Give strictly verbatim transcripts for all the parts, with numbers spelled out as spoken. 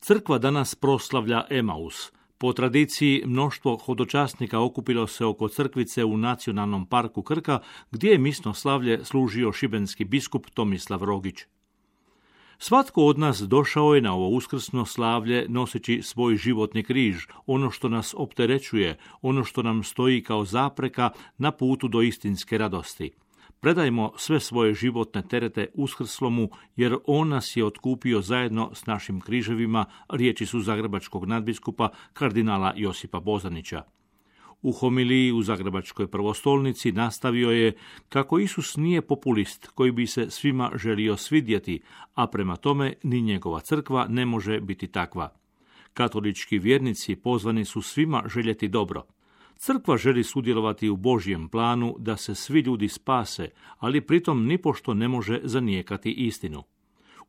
Crkva danas proslavlja Emaus. Po tradiciji, mnoštvo hodočasnika okupilo se oko crkvice u Nacionalnom parku Krka, gdje je misno slavlje služio šibenski biskup Tomislav Rogić. Svatko od nas došao je na ovo uskrsno slavlje noseći svoj životni križ, ono što nas opterećuje, ono što nam stoji kao zapreka na putu do istinske radosti. Predajmo sve svoje životne terete uskrslomu, jer on nas je otkupio zajedno s našim križevima, riječi su zagrebačkog nadbiskupa kardinala Josipa Bozanića. U homiliji u Zagrebačkoj prvostolnici nastavio je kako Isus nije populist koji bi se svima želio svidjeti, a prema tome ni njegova crkva ne može biti takva. Katolički vjernici pozvani su svima željeti dobro. Crkva želi sudjelovati u Božjem planu da se svi ljudi spase, ali pritom nipošto ne može zanijekati istinu.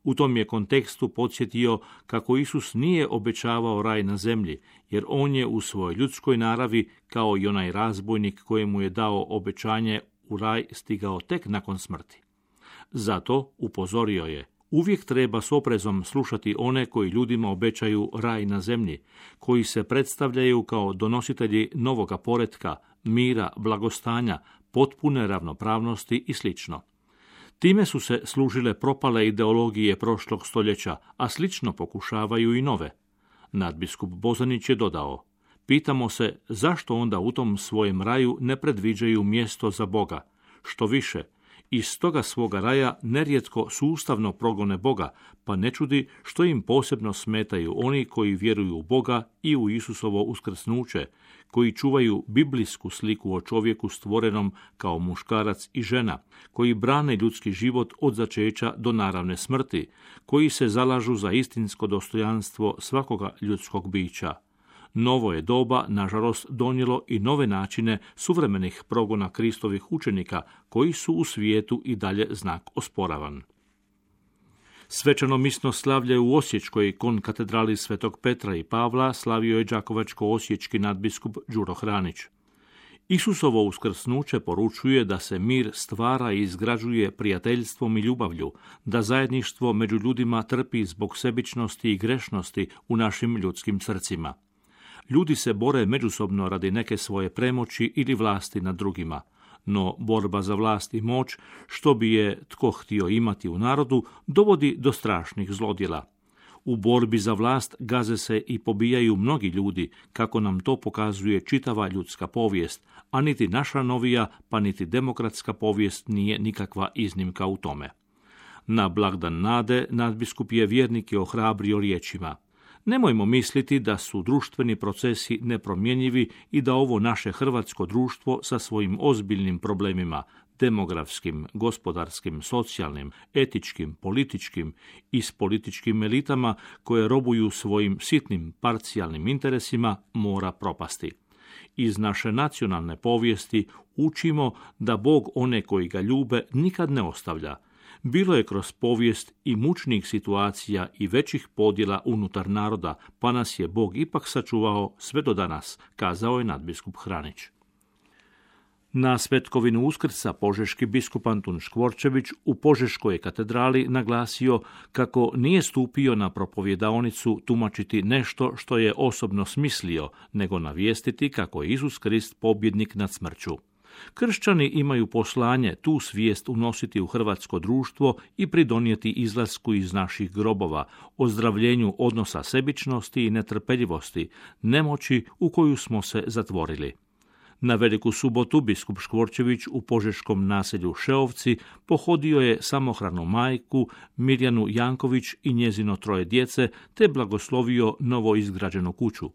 U tom je kontekstu podsjetio kako Isus nije obećavao raj na zemlji, jer on je u svojoj ljudskoj naravi, kao i onaj razbojnik kojemu je dao obećanje u raj, stigao tek nakon smrti. Zato, upozorio je, uvijek treba s oprezom slušati one koji ljudima obećaju raj na zemlji, koji se predstavljaju kao donositelji novoga poretka, mira, blagostanja, potpune ravnopravnosti i slično. Time su se služile propale ideologije prošlog stoljeća, a slično pokušavaju i nove. Nadbiskup Bozanić je dodao: pitamo se zašto onda u tom svojem raju ne predviđaju mjesto za Boga. Što više, iz toga svoga raja nerijetko sustavno progone Boga, pa ne čudi što im posebno smetaju oni koji vjeruju u Boga i u Isusovo uskrsnuće, koji čuvaju biblijsku sliku o čovjeku stvorenom kao muškarac i žena, koji brane ljudski život od začeća do naravne smrti, koji se zalažu za istinsko dostojanstvo svakoga ljudskog bića. Novo je doba, nažalost, donijelo i nove načine suvremenih progona Kristovih učenika, koji su u svijetu i dalje znak osporavan. Svečano misno slavlje u Osječkoj konkatedrali Svetog Petra i Pavla slavio je đakovačko-osječki nadbiskup Đuro Hranić. Isusovo uskrsnuće poručuje da se mir stvara i izgrađuje prijateljstvom i ljubavlju, da zajedništvo među ljudima trpi zbog sebičnosti i grešnosti u našim ljudskim srcima. Ljudi se bore međusobno radi neke svoje premoći ili vlasti nad drugima, no borba za vlast i moć, što bi je tko htio imati u narodu, dovodi do strašnih zlodjela. U borbi za vlast gaze se i pobijaju mnogi ljudi, kako nam to pokazuje čitava ljudska povijest, a niti naša novija, pa niti demokratska povijest nije nikakva iznimka u tome. Na blagdan nade nadbiskup je vjernike ohrabrio riječima: nemojmo misliti da su društveni procesi nepromjenjivi i da ovo naše hrvatsko društvo sa svojim ozbiljnim problemima, demografskim, gospodarskim, socijalnim, etičkim, političkim i s političkim elitama koje robuju svojim sitnim parcijalnim interesima, mora propasti. Iz naše nacionalne povijesti učimo da Bog one koji ga ljube nikad ne ostavlja. Bilo je kroz povijest i mučnih situacija i većih podjela unutar naroda, pa nas je Bog ipak sačuvao sve do danas, kazao je nadbiskup Hranić. Na svetkovinu Uskrsa požeški biskup Antun Škvorčević u Požeškoj katedrali naglasio kako nije stupio na propovjedaonicu tumačiti nešto što je osobno smislio, nego navijestiti kako je Isus Krist pobjednik nad smrću. Kršćani imaju poslanje tu svijest unositi u hrvatsko društvo i pridonijeti izlasku iz naših grobova, ozdravljenju odnosa sebičnosti i netrpeljivosti, nemoći u koju smo se zatvorili. Na Veliku subotu biskup Škvorčević u požeškom naselju Šeovci pohodio je samohranu majku Mirjanu Janković i njezino troje djece, te blagoslovio novo izgrađenu kuću.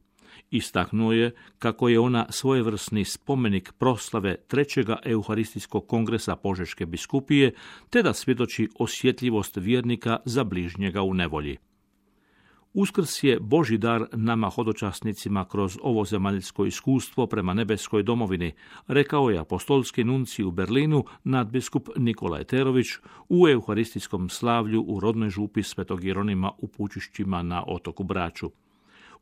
Istaknuo je kako je ona svojevrsni spomenik proslave trećega Euharistijskog kongresa Požeške biskupije, te da svjedoči osjetljivost vjernika za bližnjega u nevolji. Uskrs je Božji dar nama hodočasnicima kroz ovo zemaljsko iskustvo prema nebeskoj domovini, rekao je apostolski nuncij u Berlinu nadbiskup Nikola Eterović u euharistijskom slavlju u rodnoj župi Svetog Jeronima u Pučišćima na otoku Braču.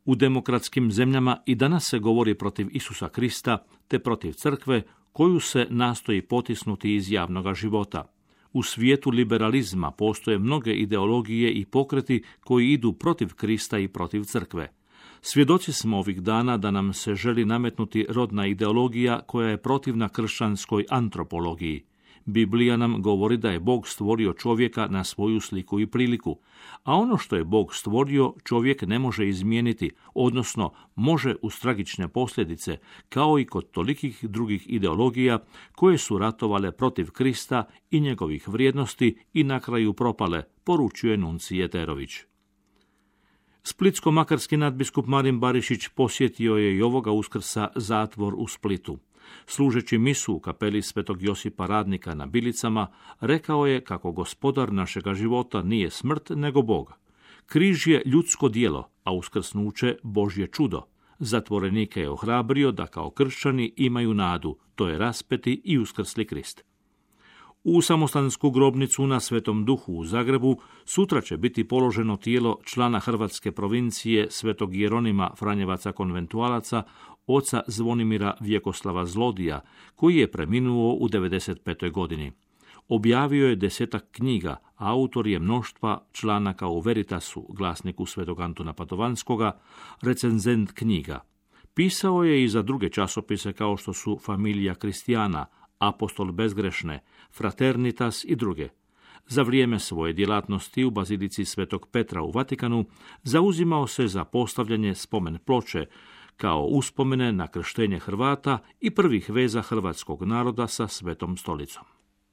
U demokratskim zemljama i danas se govori protiv Isusa Krista te protiv crkve koju se nastoji potisnuti iz javnoga života. U svijetu liberalizma postoje mnoge ideologije i pokreti koji idu protiv Krista i protiv crkve. Svjedoci smo ovih dana da nam se želi nametnuti rodna ideologija koja je protivna kršćanskoj antropologiji. Biblija nam govori da je Bog stvorio čovjeka na svoju sliku i priliku, a ono što je Bog stvorio čovjek ne može izmijeniti, odnosno može uz tragične posljedice, kao i kod tolikih drugih ideologija koje su ratovale protiv Krista i njegovih vrijednosti i na kraju propale, poručuje nuncije Jeterović. Splitsko-makarski nadbiskup Marin Barišić posjetio je i ovoga Uskrsa zatvor u Splitu. Služeći misu u kapeli Svetog Josipa Radnika na Bilicama, rekao je kako gospodar našega života nije smrt, nego Bog. Križ je ljudsko djelo, a uskrsnuće Božje čudo. Zatvorenike je ohrabrio da kao kršćani imaju nadu, to je raspeti i uskrsli Krist. U samostansku grobnicu na Svetom Duhu u Zagrebu sutra će biti položeno tijelo člana hrvatske provincije Svetog Jeronima Franjevaca konventualaca, oca Zvonimira Vjekoslava Zlodija, koji je preminuo u devedeset petoj godini. Objavio je desetak knjiga, a autor je mnoštva članaka u Veritasu, glasniku Svetog Antuna Padovanskoga, recenzent knjiga. Pisao je i za druge časopise kao što su Familija Kristijana, Apostol bezgrešne, Fraternitas i druge. Za vrijeme svoje djelatnosti u Bazilici Svetog Petra u Vatikanu zauzimao se za postavljanje spomen ploče kao uspomene na krštenje Hrvata i prvih veza hrvatskog naroda sa Svetom stolicom.